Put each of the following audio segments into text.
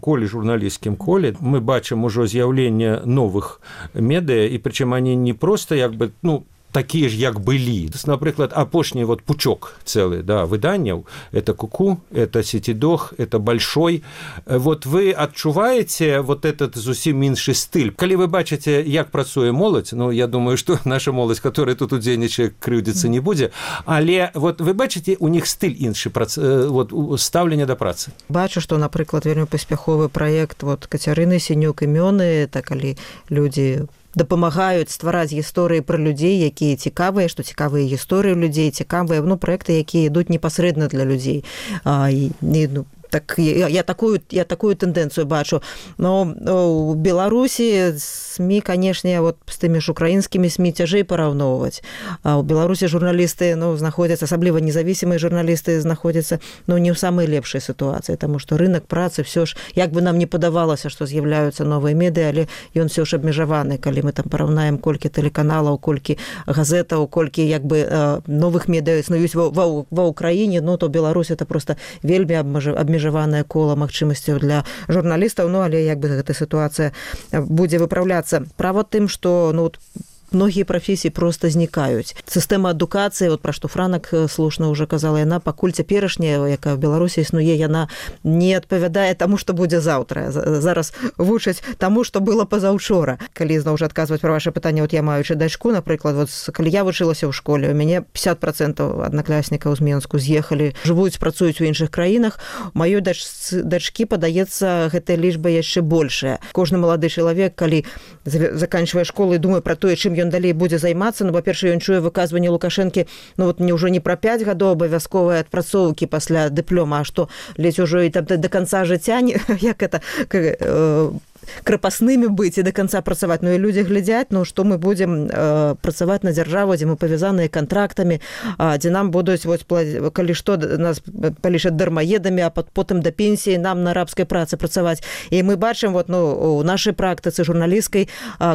коле журналісцкім коле мы бачым ужо з'яўленне новых медыа, і прычым они не проста такие ж, як былі. Напрыклад, апошні пучок цэлы, выданняў, это Куку, это Сетидох, это Большой. Вы адчуваеце этот зусім іншы стыль. Калі вы бачыце, як працуе моладзь, я думаю, што наша моладзь, которая тут удзельнічае, крыўдзіцца не будзе, але вы бачыце, у них стыль іншы, стаўленне да працы. Бачу, што, напрыклад, вельмі паспяховы праект Кацярыны Сінюк «Імёны», калі людзі дапамагаюць ствараць гісторыі пра людзей, якія цікавыя, што цікавыя гісторыі людзей, цікавыя праекты, якія ідуць непасрэдна для людзей. Так я такую тэндэнцыю бачу. Но у Беларусі СМІ, канешне, з тымі ж украінскімі СМІ цяжэй параўноўваць. А ў Беларусі журналісты знаходзяцца, асабліва незавісімыя журналісты знаходзяцца не ў самай лепшай сітуацыі, таму што рынак працы ўсё ж, як бы нам не падавалася, што з'яўляюцца новыя медыа, але ён ўсё ж абмежаваны, калі мы там параўнаем, колькі тэлеканалаў, колькі газетаў, колькі новых медыа існуюць ва ўкраіне, то Беларусь это проста вельмі абмежаванае кола магчымасцяў для журналістаў, але гэта сітуацыя будзе выпраўляцца. Права тым, што многія прафесіі проста знікаюць. Сістэма адукацыі, пра што Франак слушна ўжо казала, яна пакуль цяперашняя, якая ў Беларусі існуе, яна не адпавядае таму, што будзе заўтра. Зараз вучаць таму, што было пазаўчора. Калі зноў жа адказваць пра ваше пытанне, я маючы дачку, напрыклад, калі я вучылася ў школе, у мяне 50% аднакласнікаў з Менску з'ехалі, жывуць, працуюць у іншых краінах. Маёй дачкі, падаецца, гэтая лічба яшчэ большая. Кожны малады чалавек, калі заканчвае школу і думае пра тое, чым ён далей будзе займацца, па-першае, ён чуе выказванне Лукашэнкі, ўжо не пра 5 гадоў абавязковай адпрацоўкі пасля дыплома, а што ледзь ужо і да канца жыцця, як это крапаснымі быць і да канца працаваць. І людзі глядзяць, што мы будзем працаваць на дзяржаву, дзе мы павязаныя кантрактамі, дзе нам будуць, калі што, нас палічаць дармаедамі, а потым да пенсіі нам на рабскай працы працаваць. І мы бачым у нашай практыцы журналісцкай,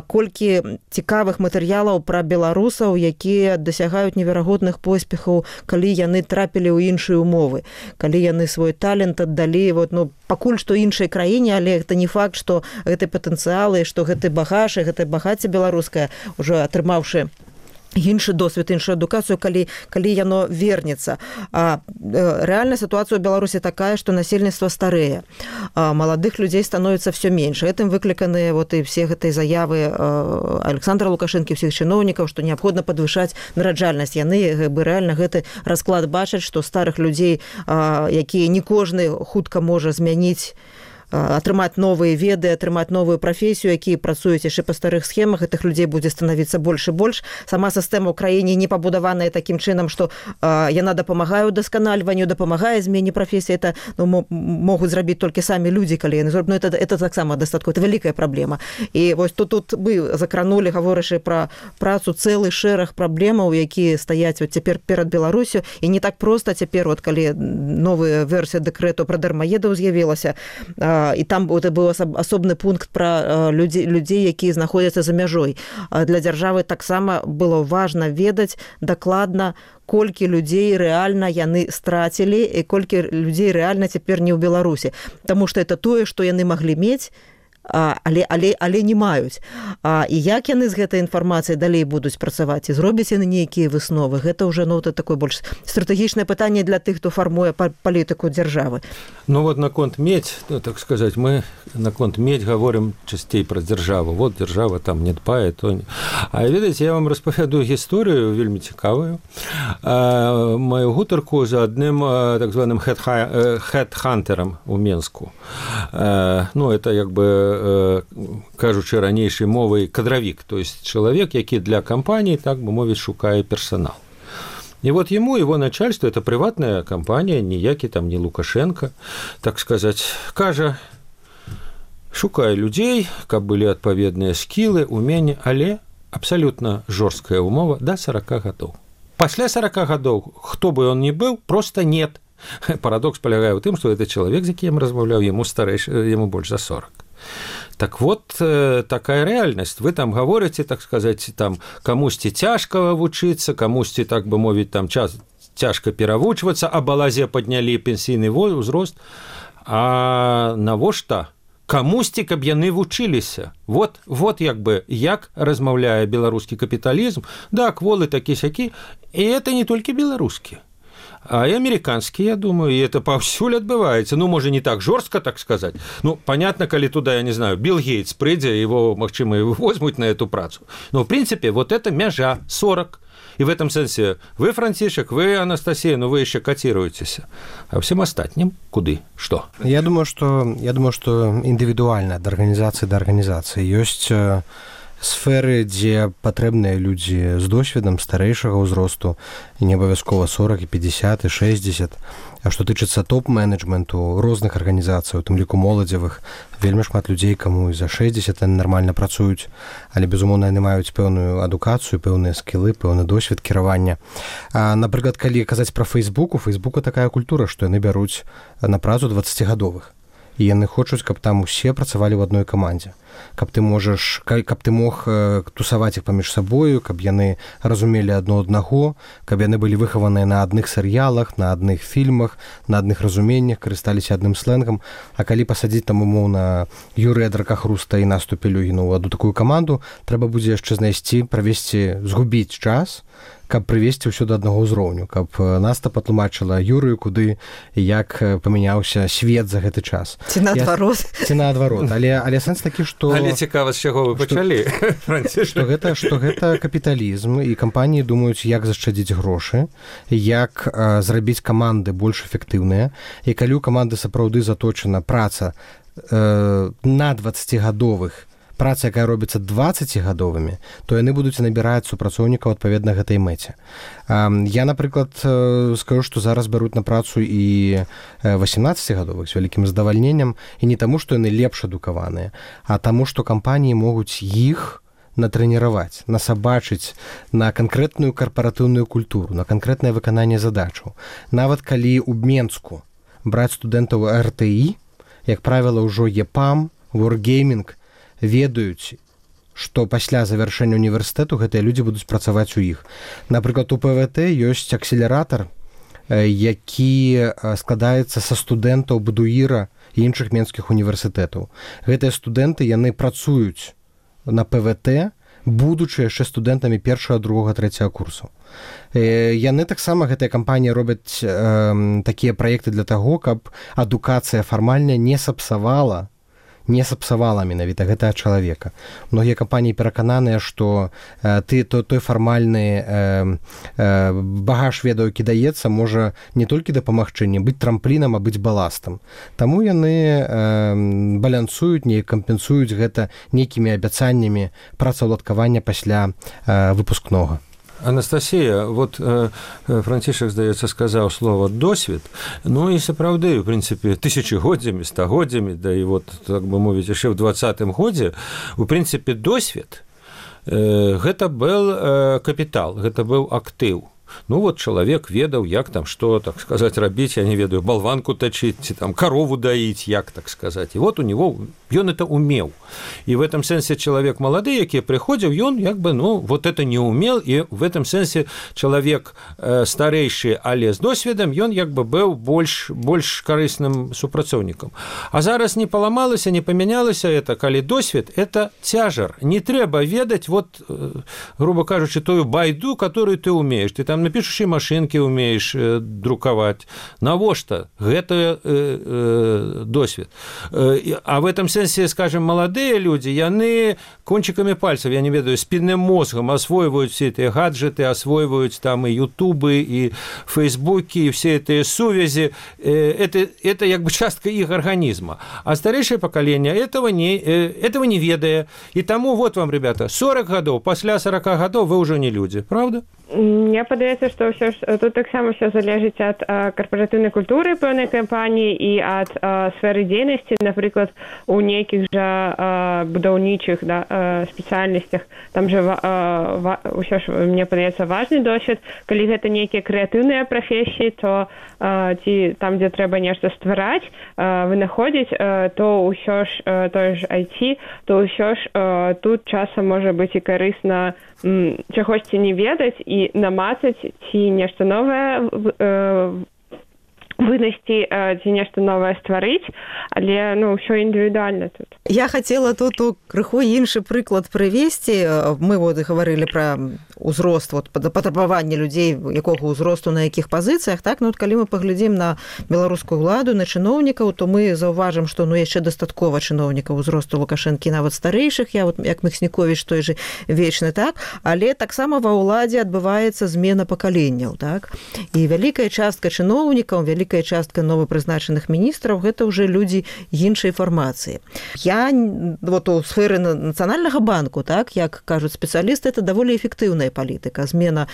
колькі цікавых матэрыялаў пра беларусаў, якія дасягаюць неверагодных поспехаў, калі яны трапілі ў іншыя умовы, калі яны свой талент аддалі пакуль што іншай краіне, але гэта не факт, што гэты патэнцыял і што гэты багаж і гэтае багацце беларускае, ужо атрымаўшы іншы досвед, іншую адукацыю, калі яно вернецца. Рэальная сітуацыя ў Беларусі такая, што насельніцтва старэе. Маладых людзей становіцца ўсё менш. Гэтым выкліканыя і все гэтыя заявы Александра Лукашэнкі, ўсіх чыноўнікаў, што неабходна падвышаць нараджальнасць. Яны рэальна гэты расклад бачаць, што старых людзей, якія не кожны хутка можа змяніць, атрымаць новыя веды, атрымаць новую прафесію, якія працуюць яшчэ па старых схемах, гэтых людзей будзе становіцца больш і больш. Сама сістэма ў краіне не пабудаваная такім чынам, што яна дапамагае ўдасканальванню, дапамагае змене прафесіі. Это могуць зрабіць толькі самі людзі, калі яны зробяць. Это таксама дастаткова, это вялікая праблема. І тут мы закранулі, гаворачы пра працу, цэлы шэраг праблемаў, якія стаяць цяпер перад Беларусю. І не так проста цяпер, калі новая версія дэкрэту пра дармаедаў з'явілася, і там быў асобны пункт пра людзей, якія знаходзяцца за мяжой. Для дзяржавы таксама было важна ведаць дакладна, колькі людзей рэальна яны страцілі і колькі людзей рэальна цяпер не ў Беларусі. Таму што это тое, што яны маглі мець, але не маюць. І як яны з гэтай інфармацыяй далей будуць працаваць, і зробяць яны нейкія высновы, гэта ўжо такое больш стратэгічнае пытанне для тых, хто фармуе палітыку дзяржавы. Наконт медь, так сказаць, мы наконт медь гаворым часцей пра дзяржаву. Дзяржава там не дбае, то... А ведаеце, я вам распавяду гісторыю вельмі цікавую. Маю гутарку за адным так званым хедхантерам у Менску. Это кажучы ранейшай мовай кадравік, то есть чалавек, які для кампаніі, так бы мовіць, шукае персанал. І ему его начальство, это приватная кампанія, ніякі там не Лукашенко, так сказаць, кажа, шукае людзей, каб былі адпаведныя скілы, уменні, але абсалютна жорсткая умова да 40 гадоў. Пасля 40 гадоў, хто бы он ни быў, просто нет. Парадокс палягае ў тым, што гэта чалавек, з якім размаўляў, яму больш за 40. Так такая рэальнасць. Вы там гаворыце, так сказаць, там камусьці цяжка вучыцца, камусьці, так бы мовіць, там цяжка перавучвацца, а балазе паднялі пенсійны ўзрост. А навошта камусьці, каб яны вучыліся. Вот як бы, як размаўляе беларускі капіталізм, да, кволы такі-сякі, і это не толькі беларускі, а і американскі, я думаю, і это паўсюль адбываецца. Ну, можа, не так жорстка, так сказаць. Ну, понятно, калі туда, я не знаю, Билл Гейтс прыйдзе, его, магчыма, возьмуць на эту працу. Но, в принципе, вот это мяжа 40. И в этом смысле вы, Франтишек, вы, Анастасия, ну вы еще котируетесь. А всем остальным куды? Что? Я думаю, что индивидуально от организации до организации есть сферы, дзе патрэбныя людзі з досведам старэйшага ўзросту, і не абавязкова 40, і 50, і 60. А што тычыцца топ-менеджменту розных арганізацый, у тым ліку моладзевых, вельмі шмат людзей, каму і за 60 яны нармальна працуюць, але, безумоўна, яны маюць пэўную адукацыю, пэўныя скілы, пэўны досвед кіравання. Напрыклад, калі казаць пра Фейсбук, у Фейсбука такая культура, што яны бяруць на працу 20-гадовых. І яны хочуць, каб там усе працавалі ў адной камандзе. Каб ты мог тусаваць іх паміж сабою, каб яны разумелі адно аднаго, каб яны былі выхаваныя на адных серыялах, на адных фільмах, на адных разуменнях, карысталіся адным слэнгам. А калі пасадзіць там умоўна Юрыя Дракахруста і Насту Пелюгіну ў адну такую каманду, трэба будзе яшчэ знайсці, правесці, згубіць час, каб прывесці ўсё да аднаго ўзроўню, каб Наста патлумачыла Юрыю, куды і як памяняўся свет за гэты час. Ці наадварот. Але сэнс такі, што... Але цікава, з чаго вы пачалі, Францішек. Што гэта капіталізм, і кампаніі думаюць, як зашчадзіць грошы, як зрабіць каманды больш эфектыўныя, і калі ў каманды сапраўды заточана праца на 20-гадовых, праца, якая робіцца 20-гадовымі, то яны будуць набіраць супрацоўнікаў адпаведна гэтай мэце. Я, напрыклад, скажу, што зараз бяруць на працу і 18-гадовых з вялікім задавальненнем, і не таму, што яны лепш адукаваныя, а таму, што кампаніі могуць іх натрэніраваць, насабачыць на канкрэтную карпаратыўную культуру, на канкрэтнае выкананне задачаў. Нават калі ў Менску браць студэнтаў РТІ, як правіла, ўжо ЕПАМ, Wargaming, ведаюць, што пасля завяршэння універсітэту гэтыя людзі будуць працаваць у іх. Напрыклад, у ПВТ ёсць акселератар, які складаецца са студэнтаў БДУІРа і іншых менскіх універсітэтаў. Гэтыя студэнты, яны працуюць на ПВТ, будучы яшчэ студэнтамі першага, другога, трэцяга курсу. Яны таксама, гэтыя кампаніі, робяць такія праекты для таго, каб адукацыя фармальная не сапсавала менавіта гэтага чалавека. Многія кампаніі перакананыя, што той фармальны багаж ведаў, які даецца, можа не толькі дапамагчы, не быць трамплінам, а быць баластам. Таму яны балянсуюць, не кампенсуюць гэта нейкімі абяцаннямі працаўладкавання пасля выпускнога. Анастасія, вот Францішек, здаецца, сказаў слова «досвед», ну і сапраўды, в прынцыпе, тысячагоддзямі, стагоддзямі, да і вот, так бы мовіць, яшчэ ў 20-м годзе, у прынцыпе, досвед гэта быў капітал, гэта быў актыў. Ну вот чалавек ведаў, як там што, так сказаць, рабіць, я не ведаю, балванку тачыць, ці там карову даіць, як, так сказаць. І вот у него ён это умеў. І в этом сэнсе чалавек малады, які прыходзіў, ён як бы, ну, вот это не умел, і в этом сэнсе чалавек старэйшы, але з досведам, ён як бы быў больш карысным супрацоўнікам. А зараз не паламалася, не памянялася это, калі досвед, это цяжар. Не трэба ведаць, вот, грубо кажучы, тую байду, которую ты умееш. Ты там на пішучай машынкі умееш друкаваць. Навошта? Гэта досвед. А в этом сэнсе, скажем, маладыя людзі, яны кончикамі пальцаў, я не ведаю, спінным мозгам асвойваюць все эти гаджеты, асвойваюць там и ютубы, и фейсбуки, и все эти сувязі. Это як бы частка іх арганізма. А старэйшае пакаленне этого не ведае. И тому вот вам, ребята, 40 гадоў, пасля 40 гадоў вы ўжо не людзі, правда? Мне падаецца, што ўсё ж тут таксама ўсё залежыць ад карпаратыўнай культуры пэўнай кампаніі і ад сферы дзейнасці. Напрыклад, у нейкіх жа будаўнічых спецыяльнасцях там жа ўсё ж, мне падаецца, важны досвед. Калі гэта нейкія крэатыўныя прафесіі, то ці там, дзе трэба нешта ствараць, вынаходзіць, то ўсё ж тое ж IT, то ўсё ж тут часам можа быць і карысна чагосьці не ведаць і намацаць ці нешта новае вынесці ці нешта новае стварыць, але ўсё індывідуальна тут. Я хацела тут крыху іншы прыклад прывесці. Мы гаварылі пра ўзрост, патрабаванне людзей, якога ўзросту, на якіх пазіцыях, так? Калі мы паглядзім на беларускую ўладу, на чыноўнікаў, то мы заўважым, што яшчэ дастаткова чыноўнікаў узросту Лукашэнкі, нават старэйшых, як Міхснікowicz той же вечны, так? Але таксама ва ўладзе адбываецца змена пакаленняў, так? І вялікая частка чыноўнікаў, вялікая частка новапрызначаных міністраў — гэта ўжо людзі іншай фармацыі. Я у сферы Нацыянальнага банку, так, як кажуць спецыялісты, это даволі эфектыўная палітыка. Змена,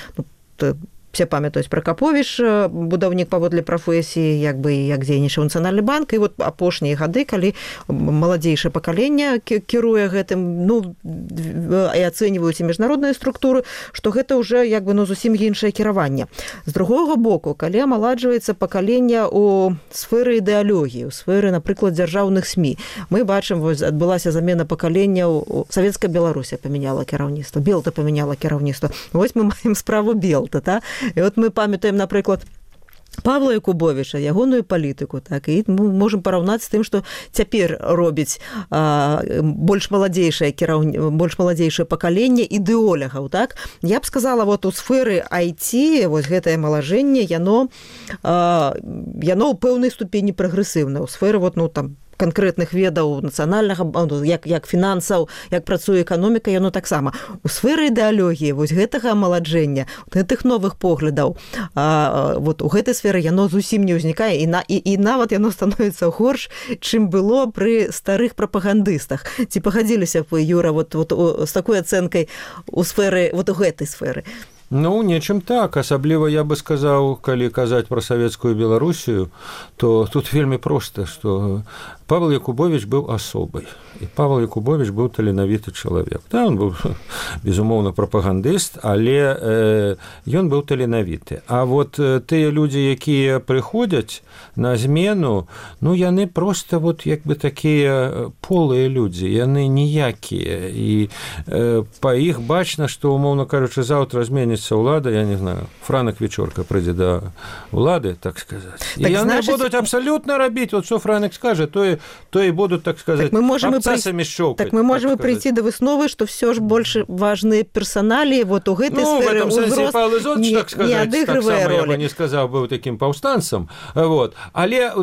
все памятаюць пра Каповіч, будаўнік паводле прафесіі, як дзейнічаў Нацыянальны банк, і апошнія гады, калі маладзейшае пакаленне кіруе гэтым, і ацэньваюць і міжнародныя структуры, што гэта ўжо зусім іншае кіраванне. З другога боку, калі амаладжваецца пакаленне ў сферы ідэалогіі, у сферы, напрыклад, дзяржаўных СМІ, мы бачым, адбылася замена пакалення, Савецкая Беларусія памяняла кіраўніцтва, Белта памяняла кіраўніцтва. Вось мы маем справу Белта, так? І мы памятаем, напрыклад, Павла Якубовіча, ягоную палітыку, так, і мы можам параўнаць з тым, што цяпер робіць больш маладзейшае пакаленне ідэолягаў, так. Я б сказала, у сферы IT гэтае малажэнне, яно ў пэўнай ступені прагрэсіўна. У сферы канкрэтных ведаў нацыянальнага, як фінансаў, як працуе эканоміка, яно таксама. У сферы ідэалогіі гэтага амаладжэння, гэтых новых поглядаў, у гэтай сферы яно зусім не ўзнікае, і нават яно становіцца горш, чым было пры старых прапагандыстах. Ці пагадзіліся б, Юра, з такой ацэнкай у сферы, у гэтай сферы? Нечым так. Асабліва я бы сказаў, калі казаць пра савецкую Беларусію, то тут вельмі проста, што Павел Якубович быў асобай. І Павел Якубович быў таленавіты чалавек. Да, он быў, безумоўна, прапагандыст, але ён быў таленавіты. А тыя людзі, якія прыходзяць на змену, яны проста такія полыя людзі, яны ніякія. І па іх бачна, што, умоўна кажучы, заўтра зменіцца ўлада, я не знаю, Франак Вечорка прыйдзе да ўлады, так сказаць. І яны будуць абсалютна рабіць, што Франак скажа, то і будуць, так сказаць, абцасамі шчоўкаць. Так мы можам прыйти до высновы, што все ж больш важныя персоналі у гэтай сферы ўзрост не адыгрывае ролі. Я бы не сказаў, быў такім паўстанцам. Але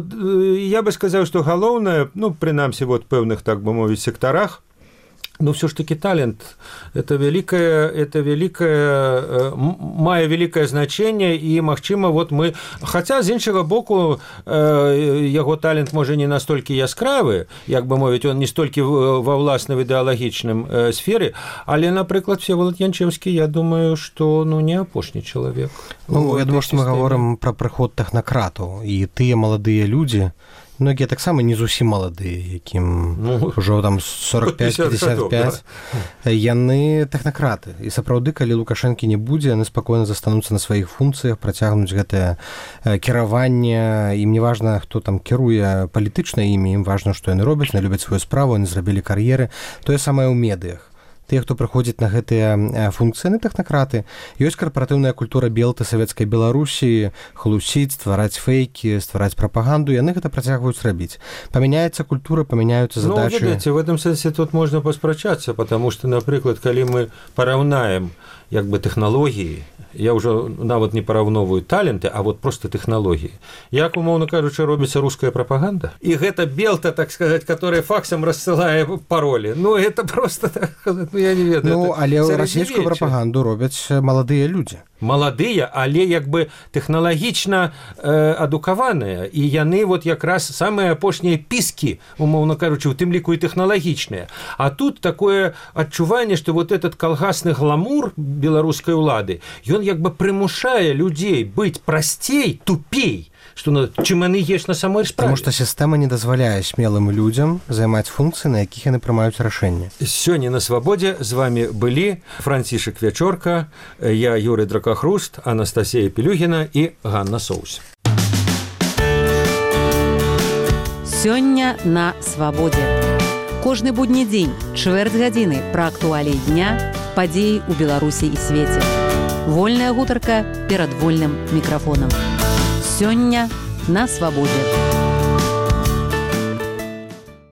я бы сказаў, што галоўнае, прынамсі, пэўных, так бы мовіць, сектарах, все ж таки талент это мае вялікае значэнне, і магчыма, мы, хаця з іншага боку яго талент можа не настолькі яскравы, як бы мовіць, он не столькі ва ўласна ідэалагічным сферы, але, напрыклад, Всеволод Янчэўскі, я думаю, што не апошні чалавек. Я думаю, што мы гаворым пра прыход тэхнакратаў, і тыя маладыя людзі, многія таксама не зусім маладыя, якім ўжо 45-55, яны тэхнакраты. І сапраўды, калі Лукашэнкі не будзе, яны спакойна застануцца на сваіх функцыях, працягнуць гэтае кіраванне. Ім не важна, хто там кіруе палітычна імі, ім важна, што яны робяць, яны любяць сваю справу, яны зрабілі кар'еры. Тое самае ў медыях. Тыя, хто прыходзіць на гэтыя функцыі, тэхнакраты. Ёсць карпаратыўная культура Белты, Савецкай Беларусі, хлусіць, ствараць фейкі, ствараць прапаганду, яны гэта працягваюць рабіць. Памяняецца культура, памяняюцца задачы. Ведаеце, в этом сэнсе тут можна паспрачацца, потому што, напрыклад, калі мы параўнаем тэхналогіі, я ўжо нават не параўноўваю таленты, а просто тэхналогіі. Як, умоўна кажучы, робіцца руская прапаганда? І гэта Белта, так сказаць, которая факсам рассылае паролі. Это просто, так сказаць, я не ведаю. Але расійскую прапаганду робяць маладыя людзі. Маладыя, але тэхналагічна адукаваныя, і яны якраз самыя апошнія піскі, умоўна кажучы, у тым ліку і тэхналагічныя. А тут такое адчуванне, што этот калгасны гламур беларускай улады, ён прымушае людзей быць прасцей, тупей, чым яны ёсць на самой справе. Таму што сістэма не дазваляе смелым людзям займаць функцыі, на якіх яны прымаюць рашэнні. Сёння на свабодзе з вами былі Францішак Вячорка, я Юрый Дракахруст, Анастасія Пелюгіна і Ганна Соус. Сёння на свабодзе. Кожны будні дзень, чвэрць гадзіны пра актуаліі дня, падзеі ў Беларусі і свеце. Вольная гутарка перад вольным мікрафонам. Сёння на свабодзе.